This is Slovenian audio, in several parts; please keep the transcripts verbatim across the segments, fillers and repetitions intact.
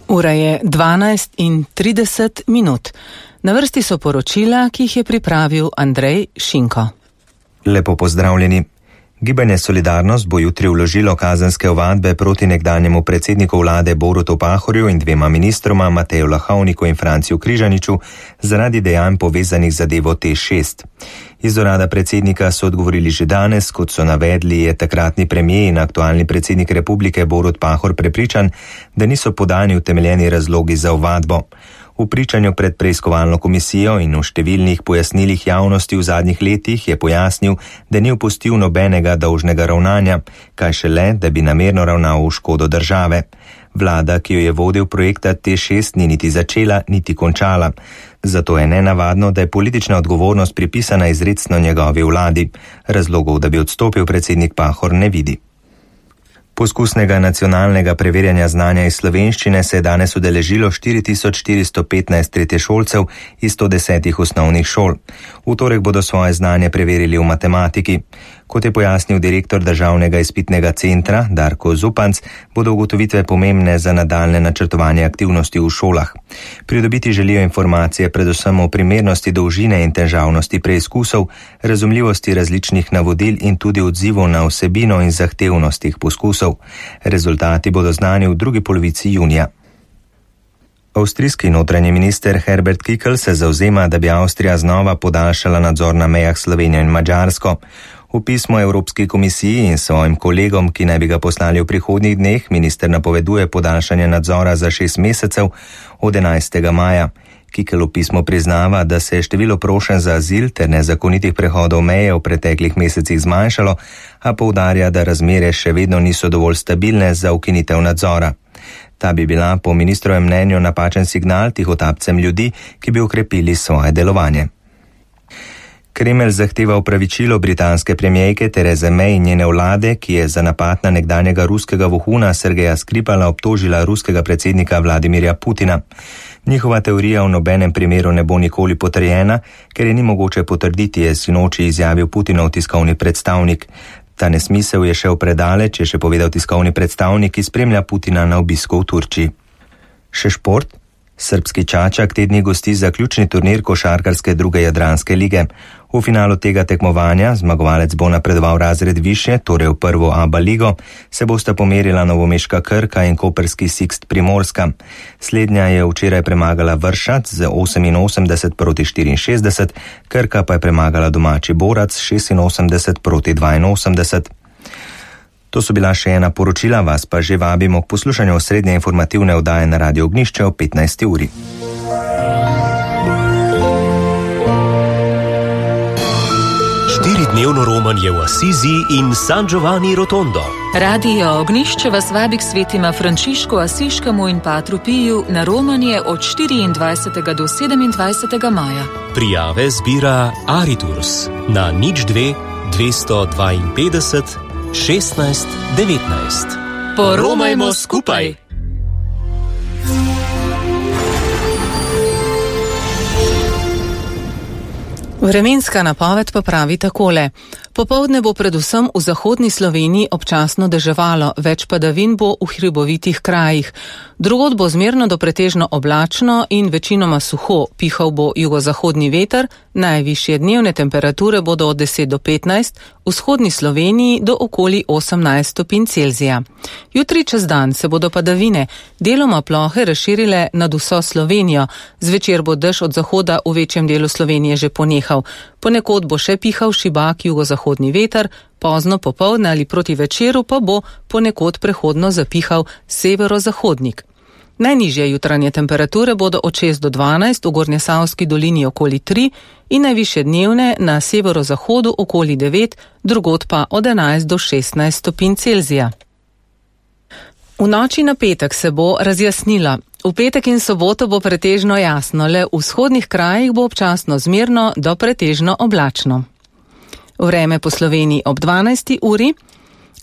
Ura je dvanajst in trideset minut. Na vrsti so poročila, ki jih je pripravil Andrej Šinko. Lepo pozdravljeni. Gibanje Solidarnost bo jutri vložilo kazenske ovadbe proti nekdanjemu predsedniku vlade Borutu Pahorju in dvema ministroma Mateju Lahovniku in Franciju Križaniču zaradi dejanj povezanih z zadevo T šest. Iz urada predsednika so odgovorili že danes, kot so navedli, je takratni premijer in aktualni predsednik republike Borut Pahor prepričan, da niso podani utemeljeni razlogi za ovadbo. V pričanju pred preiskovalno komisijo in v številnih pojasnilih javnosti v zadnjih letih je pojasnil, da ni upustil nobenega dolžnega ravnanja, kaj šele, da bi namerno ravnal v škodo države. Vlada, ki jo je vodil projekta T šest, ni niti začela, niti končala. Zato je nenavadno, da je politična odgovornost pripisana izrecno njegovi vladi. Razlogov, da bi odstopil predsednik Pahor, ne vidi. Poskusnega nacionalnega preverjanja znanja iz slovenščine se je danes udeležilo štiri tisoč štiristo petnajst tretješolcev iz sto desetih osnovnih šol. V torek bodo svoje znanje preverili v matematiki. Kot je pojasnil direktor državnega izpitnega centra Darko Zupanc, bodo ugotovitve pomembne za nadaljne načrtovanje aktivnosti v šolah. Pridobiti želijo informacije predvsem o primernosti dolžine in težavnosti preizkusov, razumljivosti različnih navodil in tudi odzivov na vsebino in zahtevnost teh poskusov. Rezultati bodo znani v drugi polovici junija. Avstrijski notranji minister Herbert Kickl se zavzema, da bi Avstrija znova podaljšala nadzor na mejah s Slovenijo in Madžarsko. V pismu Evropski komisiji in svojim kolegom, ki naj bi ga poslali v prihodnjih dneh, minister napoveduje podaljšanje nadzora za šest mesecev od enajstega maja. Kickl v pismu priznava, da se je število prošenj za azil ter nezakonitih prehodov meje v preteklih mesecih zmanjšalo, a poudarja, da razmere še vedno niso dovolj stabilne za ukinitev nadzora. Ta bi bila po ministrovem mnenju napačen signal tihotapcem ljudi, ki bi ukrepili svoje delovanje. Kremelj zahteva opravičilo britanske premijejke Therese May in njene vlade, ki je za napad na nekdanjega ruskega vohuna Sergeja Skripala obtožila ruskega predsednika Vladimirja Putina. Njihova teorija v nobenem primeru ne bo nikoli potrjena, ker je ni mogoče potrditi, je sinoči izjavil Putinov tiskovni predstavnik. Ta nesmisel je šel predaleč, je še povedal tiskovni predstavnik, ki spremlja Putina na obisku v Turčiji. Še šport? Srbski Čačak te dni gosti zaključni turnir košarkarske druge jadranske lige. V finalu tega tekmovanja zmagovalec bo napredoval razred više, torej v prvo A B A ligo, se bosta pomerila novomeška Krka in koprski Sixt Primorska. Slednja je včeraj premagala Vršac z oseminosemdeset proti štiriinšestdeset, Krka pa je premagala domači Borac šestinosemdeset proti dvainosemdeset. To so bila še ena poročila, vas pa že vabimo k poslušanju osrednje informativne oddaje na Radio Ognišče o petnajsti uri. Štiridnevno romanje v Asizi in San Giovanni Rotondo. Radio Ognišče vas vabi k svetima Frančišku Asiškemu in Patru Piju na romanje od štiriindvajsetega do sedemindvajsetega maja. Prijave zbira Ariturs na nič dve dvesto dvainpetdeset šestnajst devetnajst. Poromajmo skupaj! Vremenska napoved pa pravi takole. Popoldne bo predvsem v zahodni Sloveniji občasno deževalo, več padavin bo v hribovitih krajih. Drugod bo zmerno do pretežno oblačno in večinoma suho, pihal bo jugozahodni veter, najvišje dnevne temperature bodo od deset do petnajst, v vzhodni Sloveniji do okoli osemnajst stopinj Celzija. Jutri čez dan se bodo padavine deloma plohe razširile nad vso Slovenijo, zvečer bo dež od zahoda v večjem delu Slovenije že ponehal. Ponekod bo še pihal šibak jugozahodni veter, pozno popoldne ali proti večeru pa bo ponekod prehodno zapihal severozahodnik. Najnižje jutranje temperature bodo od šest do dvanajst, v Gornjesavski dolini okoli tri in najvišje dnevne na severozahodu okoli devet, drugod pa od enajst do šestnajst stopinj Celzija. V noči na petek se bo razjasnila. V petek in soboto bo pretežno jasno, le v vzhodnih krajih bo občasno zmerno do pretežno oblačno. Vreme po Sloveniji ob dvanajsti uri.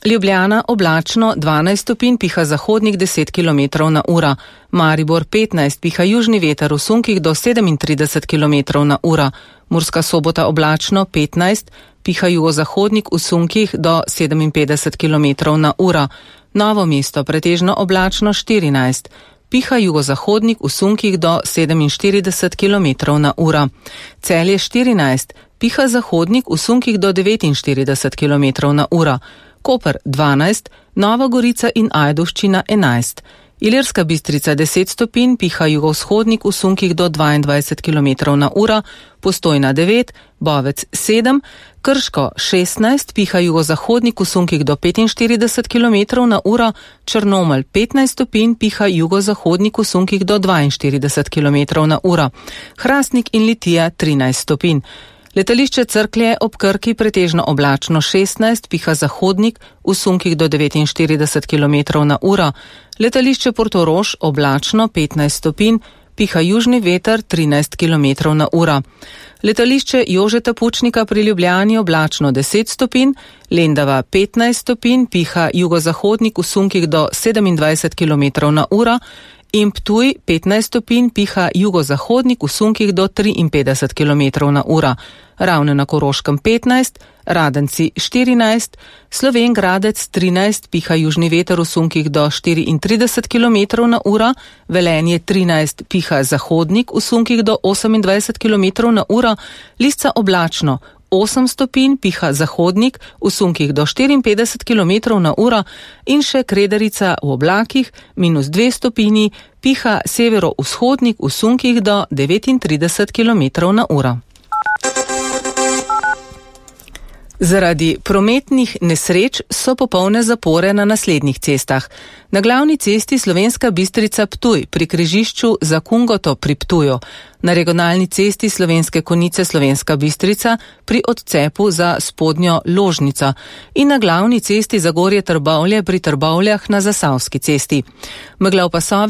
Ljubljana oblačno dvanajst stopinj, piha zahodnik deset kilometrov na uro. Maribor petnajst, piha južni veter v sunkih do sedemintrideset kilometrov na uro. Murska Sobota oblačno petnajst, piha jugozahodnik v sunkih do sedeminpetdeset kilometrov na uro. Novo mesto pretežno oblačno štirinajst, piha jugozahodnik v sunkih do sedeminštirideset kilometrov na uro. Celje štirinajst, piha zahodnik v sunkih do devetinštirideset kilometrov na uro. Koper dvanajst, Nova Gorica in Ajdovščina enajst. Ilirska Bistrica deset stopinj, piha jugovzhodnik v sunkih do dvaindvajset kilometrov na uro, Postojna devet, Bovec sedem, Krško šestnajst, piha jugozahodnik v sunkih do petinštirideset kilometrov na uro, Črnomelj petnajst stopinj, piha jugozahodnik v sunkih do dvainštirideset kilometrov na uro, Hrastnik in Litija trinajst stopinj. Letališče Cerklje ob Krki pretežno oblačno šestnajst, piha zahodnik v sunkih do devetinštirideset kilometrov na uro. Letališče Portorož oblačno petnajst stopinj, piha južni veter trinajst kilometrov na uro. Letališče Jožeta Pučnika pri Ljubljani oblačno deset stopinj, Lendava petnajst stopinj, piha jugozahodnik v sunkih do sedemindvajset kilometrov na uro. In Ptuj petnajst stopinj, piha jugozahodnik v sunkih do triinpetdeset kilometrov na uro. Ravne na Koroškem petnajst, Radenci štirinajst, Slovenj Gradec trinajst, piha južni veter v sunkih do štiriintrideset kilometrov na uro, Velenje trinajst, piha zahodnik v sunkih do osemindvajset kilometrov na uro, Lisca oblačno osem stopinj, piha zahodnik v sunkih do štiriinpetdeset kilometrov na uro in še Kredarica v oblakih minus dve stopinji, piha severovzhodnik v sunkih do devetintrideset kilometrov na uro. Zaradi prometnih nesreč so popolne zapore na naslednjih cestah. Na glavni cesti Slovenska Bistrica Ptuj pri križišču za Kungoto pri Ptuju, na regionalni cesti Slovenske Konjice Slovenska Bistrica pri odcepu za spodnjo Ložnico in na glavni cesti Zagorje Trbovlje pri Trbovljah na Zasavski cesti. Megla v pasovi